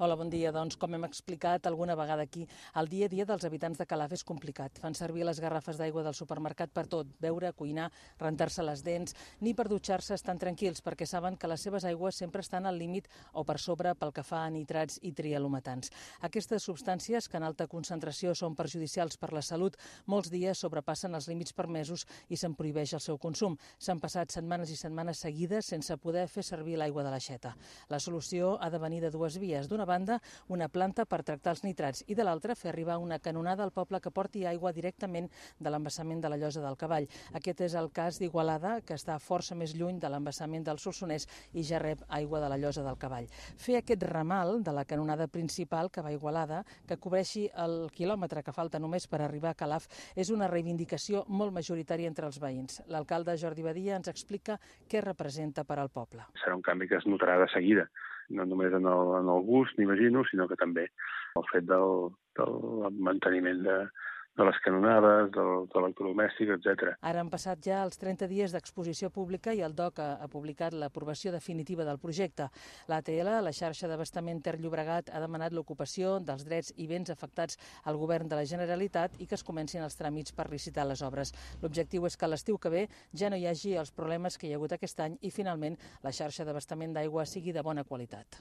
Hola, bon dia. Doncs, com hem explicat alguna vegada aquí, el dia a dia dels habitants de Calaf és complicat. Fan servir les garrafes d'aigua del supermercat per tot, beure, cuinar, rentar-se les dents, ni per dutxar-se estan tranquils perquè saben que les seves aigües sempre estan al límit o per sobre pel que fa a nitrats i trialometans. Aquestes substàncies, que en alta concentració són perjudicials per la salut, molts dies sobrepassen els límits permesos i se'n prohibeix el seu consum. S'han passat setmanes i setmanes seguides sense poder fer servir l'aigua de l'aixeta. La solució ha de venir de dues vies. D'una banda, una planta per tractar els nitrats i de l'altra, fer arribar una canonada al poble que porti aigua directament de l'embassament de la Llosa del Cavall. Aquest és el cas d'Igualada, que està força més lluny de l'embassament del Solsonès i ja rep aigua de la Llosa del Cavall. Fer aquest ramal de la canonada principal que va a Igualada, que cobreixi el quilòmetre que falta només per arribar a Calaf, és una reivindicació molt majoritària entre els veïns. L'alcalde Jordi Badia ens explica què representa per al poble. Serà un canvi que es notarà de seguida, no només en el gust, m'imagino, sinó que també el fet del manteniment de les canonades, de l'electrodomèstic, etc. Ara han passat ja els 30 dies d'exposició pública i el DOC ha publicat l'aprovació definitiva del projecte. L'ATL, la xarxa d'abastament Ter Llobregat, ha demanat l'ocupació dels drets i béns afectats al govern de la Generalitat i que es comencin els tràmits per licitar les obres. L'objectiu és que l'estiu que ve ja no hi hagi els problemes que hi ha hagut aquest any i finalment la xarxa d'abastament d'aigua sigui de bona qualitat.